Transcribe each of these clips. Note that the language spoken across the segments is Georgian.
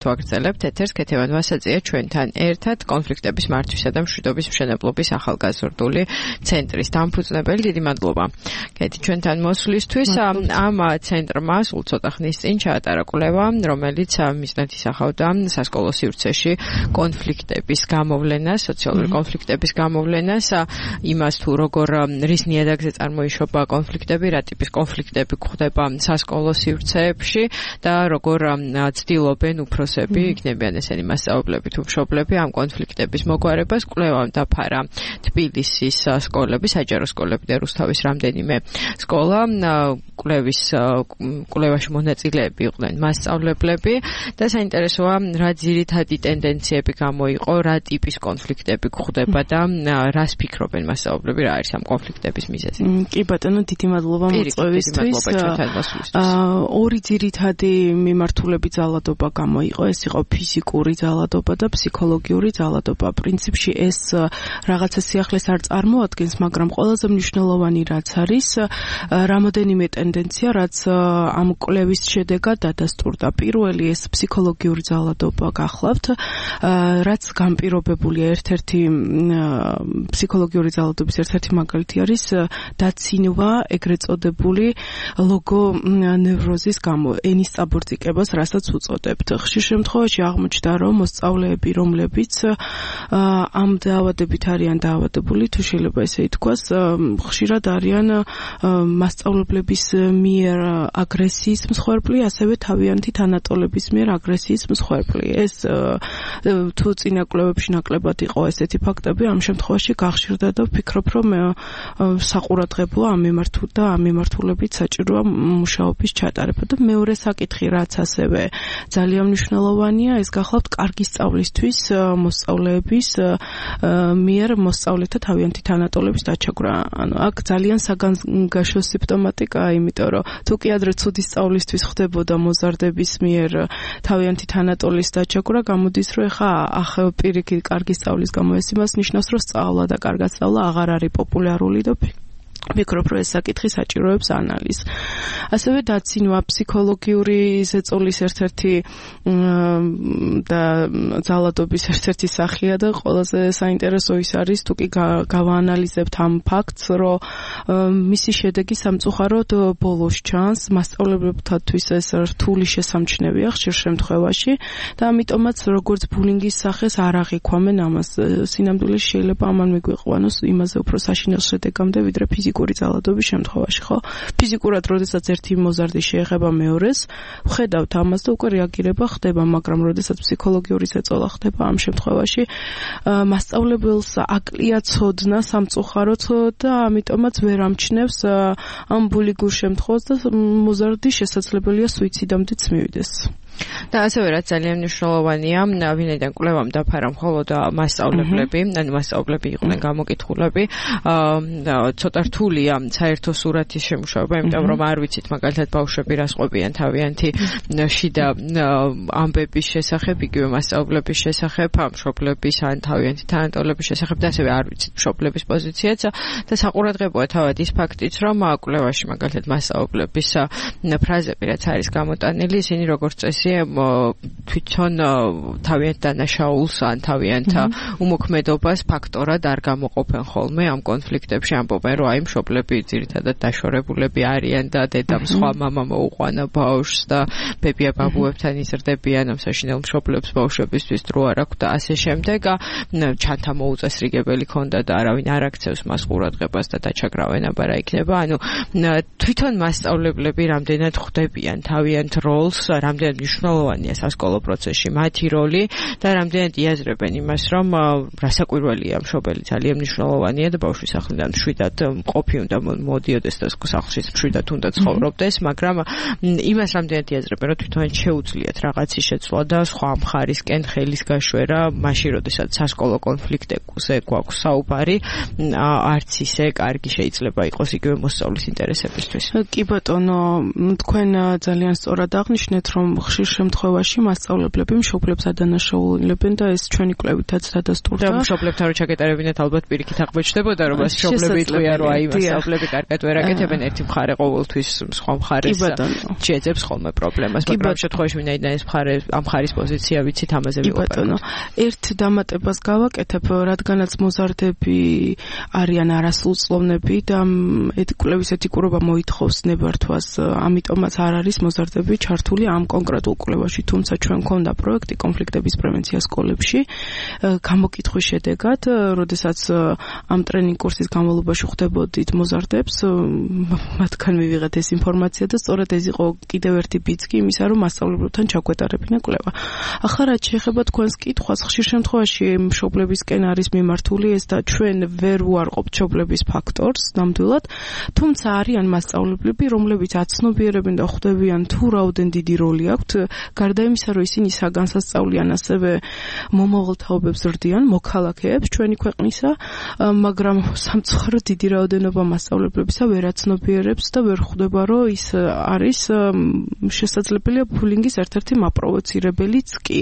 ვაგრძელებთ ეთერს ქეთევან ვასაძია ჩვენთან ერთად კონფლიქტების მართვისა და მშვიდობის მშენებლობის ახალგაზრდული ცენტრის დამფუძნებელი. დიდი მადლობა კეთი ჩვენთან მოსვლისთვის. ამ ცენტრმა სულ ცოტა ხნის წინ ჩაატარა კვლევა, რომელიც მიზნად ისახავდა სასკოლო სივრცეში კონფლიქტების გამოვლენას, სოციალური კონფლიქტების გამოვლენას, იმას თუ როგორ რის ნიადაგზე წარმოიშობა კონფლიქტები, რა ტიპის კონფლიქტები გვხდება სასკოლო სივრცეებში და როგორ ცდილობენ უფროსები, იქნებიან ესენი მასწავლებლები თუ მშობლები ამ კონფლიქტების მოგვარებას. კვლევამ დაფარა თბილისის სკოლები, საჯარო სკოლები და რუსთავის რამდენიმე სკოლა. კვლევაში მონაწილეები იყვნენ მასწავლებლები და საინტერესოა რა ძირითადი ტენდენციები გამოიყო, რა ტიპის კონფლიქტები გვხდება და რას ფიქრობენ მასწავლებლები, რა არის ამ კონფლიქტების მიზეზი. კი ბატონო, დიდი მადლობა მოწვევისთვის. ორი ძირითადი მიმართულების ძალადობა გამოიყო, ეს იყო ფიზიკური ძალადობა და ფსიქოლოგიური ძალადობა. პრინციპში ეს რაღაცა სიახლეს არ წარმოადგენს, მაგრამ ყველაზე მნიშვნელოვანი რაც არის, რამოდენიმე ტენდენცია, რაც ამ კვლევის შედეგად დადასტურდა. პირველი ეს ფსიქოლოგიური ძალადობა გახლავთ, რაც განპირობებულია ერთ-ერთი ფსიქოლოგიური ძალადობის ერთ-ერთი მაგალითი არის დაცინვა ეგრეთ წოდებული ლოგონევროზის გამო, ენის წაბორძიკებას, რასაც უწოდებთ. ხშირ შემთხვევაში აღმოჩნდა, რომ მოსწავლეები, რომლებიც ამ დაავადებით არიან დაავადებული, თუ შეიძლება ესე ითქვას, ხშირად არიან მასწავლებლების მიერ აგრესიის მსხვერპლი, ასევე თავიანთი თანატოლების მიერ აგრესიის მსხვერპლი. ეს თუ წინა კვლევებში ნაკლებად იყო ესეთი ფაქტები, ამ შემთხვევაში გახშირდა და ვფიქრობ, რომ საყურადღებოა ამ მიმართულებით საჭიროა მუშაობის ჩატარება. და მეორე საკითხი, რაც ასევე ძალიან მნიშვნელოვანია, ეს გახლავთ კარგი სწავლისთვის მოსწავლეების მიერ მოსწავლეთა თავიანთი თანატოლების დაჩაგვრა. აქ ძალიან საგანგაშო სიმპტომატიკაა, იმიტომ რომ თუ კი ადრე ცუდი სწავლისთვის ხდებოდა მოზარდების მიერ თავიანთი თანატოლის დაჩაგვრა, გამოდის, რომ ახლა პირიქით კარგი სწავლის გამო ეს იმას ნიშნავს, რომ სწავლა და კარგად სწავლა აღარ არის პოპულარული და ვფიქრობ, რომ ეს საკითხი საჭიროებს ანალიზს. ასევე დაცინვა ფსიქოლოგიური ზეწოლის ერთ-ერთი და ძალადობის ერთ-ერთი სახეა და ყველაზე საინტერესო ის არის, თუ კი გავაანალიზებთ ამ ფაქტს, რომ მისი შედეგი სამწუხაროდ ბოლოს ჩანს, მასწავლებლებთათვის ეს რთული შესამჩნევია ხშირ შემთხვევაში და ამიტომაც როგორც ბულინგის სახეს არ აღიქვამენ ამას. სინამდვილეში შეიძლება ამან მიგვიყვანოს იმაზე უფრო საშინელ შედეგამდე, ვიდრე ფიზიკური ძალადობის შემთხვევაში, ხო? ფიზიკურად, როდესაც ერთი მოზარდი შეეხება მეორეს, ვხედავთ ამას და უკვე რეაგირება ხდება, მაგრამ როდესაც ფსიქოლოგიური ზეწოლა ხდება, ამ შემთხვევაში მასწავლებელს აკლია ცოდნა სამწუხაროდ და ამიტომაც ვერ ამჩნევს ამ ბულინგურ შემთხვევას და მოზარდი შესაძლებელია სუიციდამდეც მივიდეს. და ასევე რაც ძალიან მნიშვნელოვანია, ვინაიდან კვლევამ დაფარა მხოლოდ მასწავლებლები, ანუ მასწავლებლები იყვნენ გამოკითხულები, ცოტა რთულია საერთო სურათის შემუშავება, იმიტომ რომ არ ვიცით მაგალითად ბავშვები რას ყვებიან თავიანთი შიდა ამბების შესახებ, იგივე მასწავლებლების შესახებ, მშობლების ან თავიანთი თანატოლების შესახებ და ასევე არ ვიცით მშობლების პოზიციაც და საყურადღებოა თავად ის ფაქტიც, რომ კვლევაში მაგალითად მასწავლებლების ფრაზები რაც არის გამოტანილი, ისინი როგორც წესი თვითონ თავიანთ დანაშაულს ან თავიანთ უმოქმედობას ფაქტორად არ გამოყოფენ ხოლმე ამ კონფლიქტებში, ამბობენ, რომ აი მშობლები ძირითადად დაშორებულები არიან და დედამ სხვა მამა მოუყვანა ბავშვს და ბებია ბაბუებთან იზრდებიან, ამ საშინელ მშობლებს ბავშვებისთვის დრო არ აქვს და ასე შემდეგ. ჩანთა მოუწესრიგებელი ქონდა და არავინ არ აქცევს მას ყურადღებას და დაჩაგრავენ, აბა რა იქნება. ანუ თვითონ მასწავლებლები რამდენად ხვდებიან თავიანთ როლს, რამდენად მნიშვნელოვანია სასკოლო პროცესში მათი როლი და რამდენად იაზრებენ იმას, რომ რასაკვირველია მშობელი ძალიან მნიშვნელოვანია და ბავშვის ახლიდან მშვიდად მყოფი უნდა მოდიოდეს და სახლში მშვიდად უნდა ცხოვრობდეს, მაგრამ იმას რამდენად იაზრებენ, რომ თვითონ შეუძლიათ რაღაცის შეცვლა და სხვა მხარისკენ ხელის გაშვერა, მაშინ როდესაც სასკოლო კონფლიქტებზე გვაქვს საუბარი, არც ისე კარგი შეიძლება იყოს იგივე მოსწავლის ინტერესებისთვის. კი ბატონო, თქვენ ძალიან სწორად აღნიშნეთ, რომ ხშირ ხშირ შემთხვევაში მასწავლებლები მშობლებს ადანაშაულებენ და ეს ჩვენი კვლევითაც დადასტურდა. და მშობლებთან რო ჩაკეტარებინათ ალბათ პირიქით აღმოჩნდებოდა რომ ეს მშობლები იტყვია რომ აი მასწავლებლები კარგად ვერ აკეთებენ ერთი მხარე ყოველთვის სხვა მხარეს შეეძებს ხოლმე პრობლემას, მაგრამ ამ შემთხვევაში ვინაიდან ეს მხარე ამ მხარის პოზიცია ვიცით ამაზე ვიყურებთ. ერთ დამატებას გავაკეთებ, რადგანაც მოზარდები არიან არასრულწლოვნები და კვლევის ეთიკურობა მოითხოვს ნებართვას, ამიტომაც არ არის მოზარდები ჩართული ამ კონკრეტულ კვლევაში, თუმცა ჩვენ მქონდა პროექტი კონფლიქტების პრევენცია სკოლებში. გამოკითხვის შედეგად, როდესაც ამ ტრენინგ კურსის განმავლობაში ხვდებოდით მოზარდებს, მათგან მივიღეთ ეს ინფორმაცია და სწორედ ეს იყო კიდევ ერთი ბიძგი იმისა, რომ მასწავლებლებთან ჩაგვეტარებინა კვლევა. ახლა რაც შეეხება თქვენს კითხვას, ხშირ შემთხვევაში მშობლებისკენ არის მიმართული ეს და ჩვენ ვერ უარყოფთ მშობლების ფაქტორს ნამდვილად, თუმცა არიან მასწავლებლები, რომლებიც აცნობიერებენ და ხვდებიან თუ რაოდენ დიდი როლი აქვთ, გარდა იმისა, რომ ისინი საგანსასწავლიან, ასევე მომავალ თაობებს ზრდიან, მოქალაქეებს ჩვენი ქვეყნისა, მაგრამ სამწუხაროდ დიდი რაოდენობა მასწავლებლებისა ვერ აცნობიერებს და ვერ ხვდება, რომ ის არის შესაძლებელია ბულინგის ერთ-ერთი მაპროვოცირებელიც კი.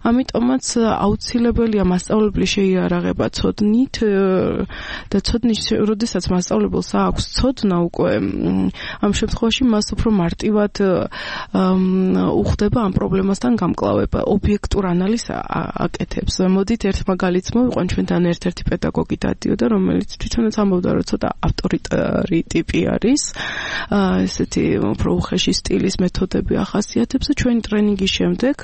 ამიტომაც აუცილებელია მასწავლებლის შეიარაღება ცოდნით და ცოდნის, როდესაც მასწავლებელს აქვს ცოდნა უკვე, ამ შემთხვევაში მას უფრო მარტივად უხდება ამ პრობლემასთან გამკლავება, ობიექტურ ანალიზს აკეთებს. მოდით ერთ მაგალითს მოვიყვან, ჩვენთან ერთ-ერთი პედაგოგი დადიოდა, რომელიც თვითონაც ამბობდა, რომ ცოტა ავტორიტარი ტიპი არის, ესეთი უფრო უხეში სტილის მეთოდები ახასიათებს და ჩვენი ტრენინგის შემდეგ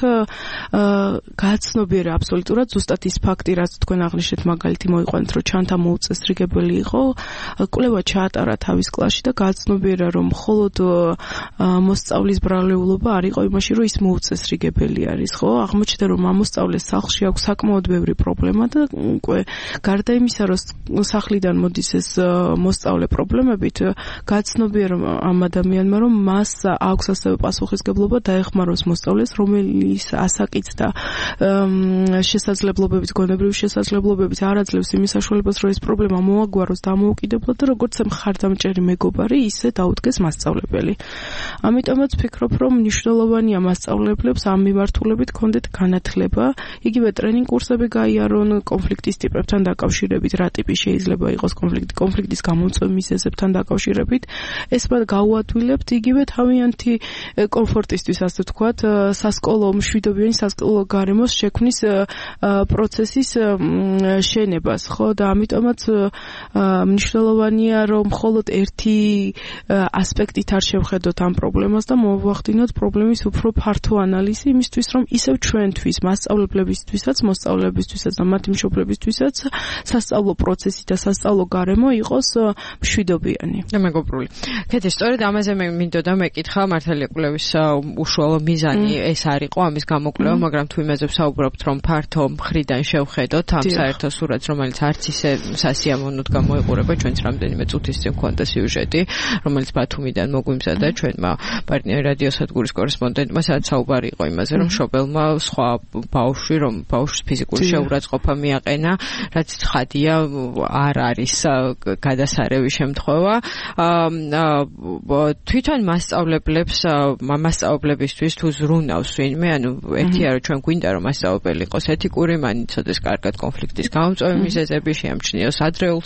გააცნობიერა აბსოლუტურად ზუსტად ის ფაქტი, რაც თქვენ აღნიშნეთ მაგალითი მოვიყვანთ, რომ ჩანთა მოუწესრიგებელი იყო, კვლევა ჩაატარა თავის კლასში და გააცნობიერა, რომ მხოლოდ მოსწავლის ბრალეულობა არ იყო იმაში, რომ ის მოუწესრიგებელი არის, ხო? აღმოჩნდა, რომ ამოსწავლეს სახლში აქვს საკმაოდ ბევრი პრობლემა და უკვე გარდა იმისა, რომ სახლიდან მოდის ეს მოსწავლე პრობლემებით, გააცნობიერა ამ ადამიანმა, რომ მას აქვს ასევე პასუხისგებლობა დაეხმაროს მოსწავლეს, რომელიც ასაკიც და შესაძლებლობებით, გონებრივი შესაძლებლობებით არ აძლევს იმის საშუალებას, რომ ეს პრობლემა მოაგვაროს და ამოუკიდებლად და როგორც მხარდამჭერი მეგობარი, ისე დაუდგეს მასწავლებელი. ამიტომაც ვფიქრობ, რომ მნიშვნელოვანია მასწავლებლებს ამ მიმართულებით ქონდეთ განათლება, იგივე ტრენინგ კურსები გაიარონ კონფლიქტის ტიპებთან დაკავშირებით, რა ტიპი შეიძლება იყოს კონფლიქტის გამომწვევ მიზეზებთან დაკავშირებით. ეს მათ გაუადვილებთ იგივე თავიანთი კომფორტისთვის, ასე ვთქვათ, სასკოლო მშვიდობიანი სასკოლო გარემოს შექმნის პროცესის შენებას, ხო? და ამიტომაც მნიშვნელოვანია, რომ მხოლოდ ერთი ასპექტით არ შევხედოთ ამ პრობლემას და მოვახდინოთ პრობლემის უფრო ფართო ანალიზი იმისთვის, რომ ისევ ჩვენთვის, მასწავლებლებისთვისაც, მოსწავლეებისთვისაც და მათი მშობლებისთვისაც სასწავლო პროცესი და სასწავლო გარემო იყოს მშვიდობიანი. და მეგობრული. კეთილ, სწორედ ამაზე მე მინდოდა მეკითხა, მართალია კვლევის უშუალო მიზანი ეს არ იყო ამის გამოკვლევა, მაგრამ თუ იმაზე ვსაუბრობთ, რომ ფართო მხრიდან შევხედოთ ამ საერთო სურათს, რომელიც არც ისე სასიამოვნოდ გამოიყურება, ჩვენც რამდენიმე წუთის წინ გვქონდა სიუჟეტი, რომელიც ბათუმიდან მოგვიმზადა ჩვენმა პარტნიორ რადიოსადგურის კორესპონდენტმა, სადაც საუბარი იყო იმაზე, რომ მშობელმა სხვა ბავშვი, რომ ბავშვს ფიზიკური შეურაცხყოფა მიაყენა, რაც ცხადია არ არის გადასარევი შემთხვევა. თვითონ მასწავლებლებისთვის თუ ზრუნავს ვინმე, ანუ ერთია რომ ჩვენ გვინდა რომ მასწავლებელი იყოს ეთიკური, მან იცოდეს კარგად კონფლიქტის გამომწვევი მიზეზები, შეამჩნიოს ადრეულ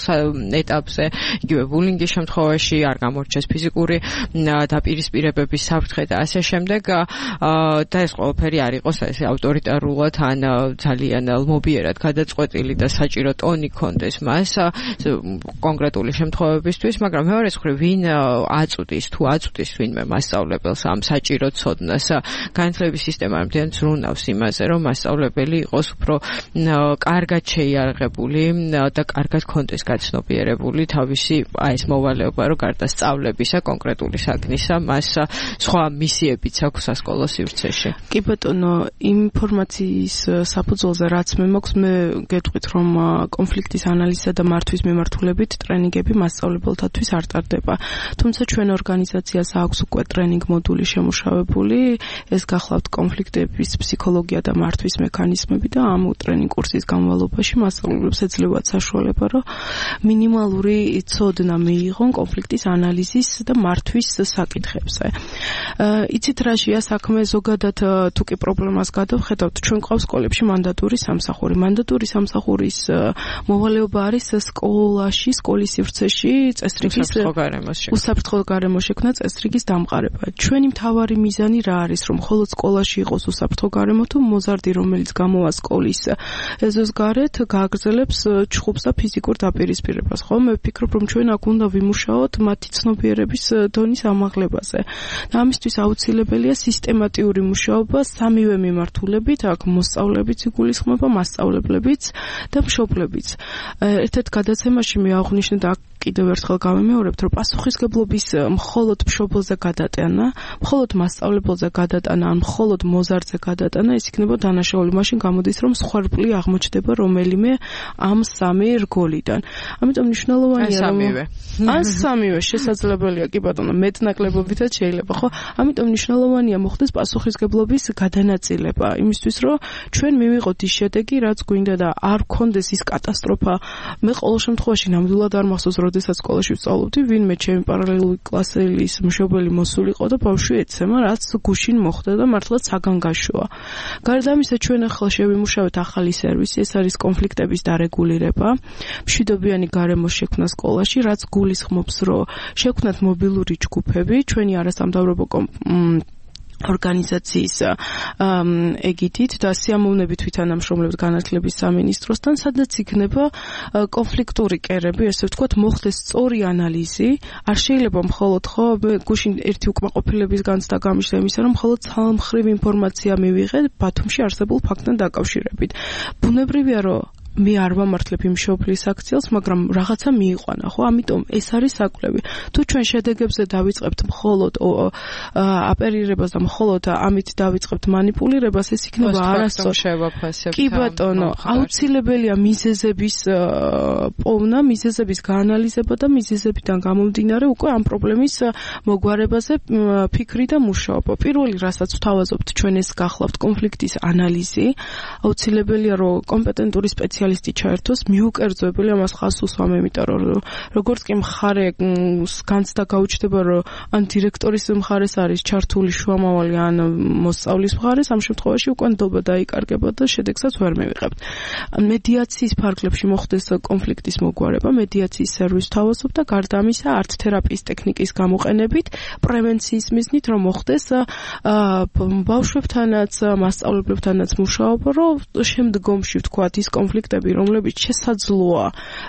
ეტაპზე, იგივე ბულინგის შემთხვევაში არ გამორჩეს ფიზიკური დაპირისპირებების საფრთხე და ასე შემდეგ, და ეს ყველაფერი არ იყოს ესე ავტორიტარულად ან ძალიან ლმობიერად გადაწყვეტილი და საჭირო ტონი კონდეს მას კონკრეტული შემთხვევებისთვის, მაგრამ მეორე მხრივ ვინ აწვდის ვინმე მასწავლებელს ამ საჭირო ცოდნას, განათლების სისტემა რამდენად ზრუნავს იმაზე, რომ მასწავლებელი იყოს უფრო კარგად შეიარაღებული და კარგად კონდეს გაცნობიერებული თავისი ეს მოვალეობა, რომ გარდა სწავლებისა კონკრეტული საქმისა, მას სხვა მისიებიც აქვს სასკოლო სივრცეში. კი ბატონო, ინფორმაციის საფუძველზე რაც მე მაქვს, მე გეტყვით, რომ კონფლიქტის ანალიზსა და მართვის მიმართულებით ტრენინგები მასწავლებელთათვის არ ტარდება. თუმცა ჩვენ ორგანიზაციას აქვს უკვე ტრენინგ მოდული შემუშავებული, ეს გახლავთ კონფლიქტების ფსიქოლოგია და მართვის მექანიზმები და ამ ტრენინგ კურსის განმავლობაში მასწავლებლებს ეძლევათ საშუალება, რომ მინიმალური ცოდნა მიიღონ კონფლიქტის ანალიზის და მართვის საკითხებზე. იცით რა შეა საქმე, თქმე, ზოგადად თუ კი პრობლემას გადავხედავთ, ჩვენ ყავს სკოლებში მანდატური სამსახური. მანდატური სამსახურის მოვალეობა არის სკოლაში, სკოლის სივრცეში წესრიგის უსაფრთხო გარემო შექმნა წესრიგის დამყარება. ჩვენი მთავარი მიზანი რა არის, რომ მხოლოდ სკოლაში იყოს უსაფრთხო გარემო თუ მოზარდი, რომელიც გამოვა სკოლის ეზოს გარეთ, გააგრძელებს ჩხუბს და ფიზიკურ დაპირისპირებას. ხო, მე ვფიქრობ, რომ ჩვენ აქ უნდა ვიმუშაოთ მათი ცნობიერების დონის ამაღლებაზე. და ამისთვის აუცილებელია სისტემატიური მუშაობა სამივე მიმართულებით, აქ მოსწავლებიც იგულისხმება, მასწავლებლებიც და მშობლებიც. ერთ-ერთ გადაცემაში მე აღვნიშნე და კიდევ ერთხელ გავიმეორებთ, რომ პასუხისგებლობის მხოლოდ მშობელზე გადატანა, მხოლოდ მასწავლებელზე გადატანა, ან მხოლოდ მოზარდზე გადატანა, ის იქნება დანაშაული. მაშინ გამოდის, რომ სხვერპლი აღმოჩნდება რომელიმე ამ სამი რგოლიდან. ამიტომ მნიშვნელოვანია, რომ ან სამივე შესაძლებელია, კი ბატონო, მეტნაკლებობითაც შეიძლება, ხო? ამიტომ მნიშვნელოვანია მოხდეს პასუხისგებლობის გადანაწილება, იმისთვის, რომ ჩვენ მივიღოთ ის შედეგი, რაც გვინდა და არ გქონდეს ის კატასტროფა. მე ყოველ შემთხვევაში ნამდვილად არ მახსოვს, როდესაც სკოლაში ვსწავლობდი, ვინმე ჩემი პარალელური კლასელის მშობელი მოსულიყო და ბავშვი ეცემა, რაც გუშინ მოხდა და მართლაც საგან გაშოა. გარდა ამისა, ჩვენ ახლა შევიმუშავეთ ახალი სერვისი, ეს არის კონფლიქტების დარეგულირება, მშვიდობიანი გარემო შექმნა სკოლაში, რაც გულისხმობს, რომ შექმნათ მობილური ჯგუფები, ჩვენი არასამთავრობო ორგანიზაციის ეგიდით და სიამოვნებით ვითანამშრომლებთ განათლების სამინისტროსთან, სადაც იქნება კონფლიქტური კერები, ესე ვთქვათ, მოხდეს სწორი ანალიზი. არ შეიძლება მხოლოდ ხო გუშინ ერთი უკმაყოფილების განცდა გამიშლა იმისა, რომ მხოლოდ ცალმხრივ ინფორმაცია მივიღე ბათუმში არსებულ ფაქტთან დაკავშირებით. ბუნებრივია, რომ მე არ ვამართლებ იმ მშობლის აქციელს, მაგრამ რაღაცა მიიყვანა, ხო? ამიტომ ეს არის საკვლევი. თუ ჩვენ შედეგებზე დავიწყებთ მხოლოდ აპერირებას და მხოლოდ ამით დავიწყებთ манипуლირებას, ეს იქნება არასწორი. კი ბატონო, აუცილებელია მიზეზების პოვნა, მიზეზების გაანალიზება და მიზეზებიდან გამომდინარე უკვე ამ პრობლემის მოგვარებაზე ფიქრი და მუშაობა. პირველი, რასაც ვთავაზობთ, ჩვენ ეს გახლავთ კონფლიქტის ანალიზი. აუცილებელია, რომ კომპეტენტური სპეციალისტი ჩაერთოს, მიუკერძოებელი ამას ხაზს უსვამ, იმიტომ რომ როგორც კი მხარე განცდა გაუჩნდება, რომ ან დირექტორის მხარეს არის ჩართული შუამავალი, ან მოსწავლის მხარეს, ამ შემთხვევაში უკვე ნდობა დაიკარგება და შედეგსაც ვერ მივიღებთ. მედიაციის ფარგლებში მოხდეს კონფლიქტის მოგვარება, მედიაციის სერვისს ვთავაზობ და გარდა ამისა ართ-თერაპიის ტექნიკის გამოყენებით, პრევენციის მიზნით, რომ მოხდეს ბავშვებთანაც, მასწავლებლებთანაც მუშაობა, რომ შემდგომში ვთქვათ ის კონფლიქტები, რომლებიც შესაძლოა,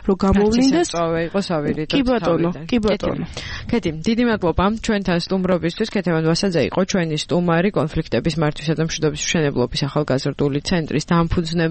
რომ გამოვლინდეს, იყოს ავირით. კი ბატონო, კი ბატონო. კეთი, დიდი მადლობა ჩვენთან სტუმრობისთვის. ქეთევან ვასაძე იყო ჩვენი სტუმარი კონფლიქტების მართვისა და მშვიდობის მშენებლობის ახალგაზრდული ცენტრის დამფუძნებელი.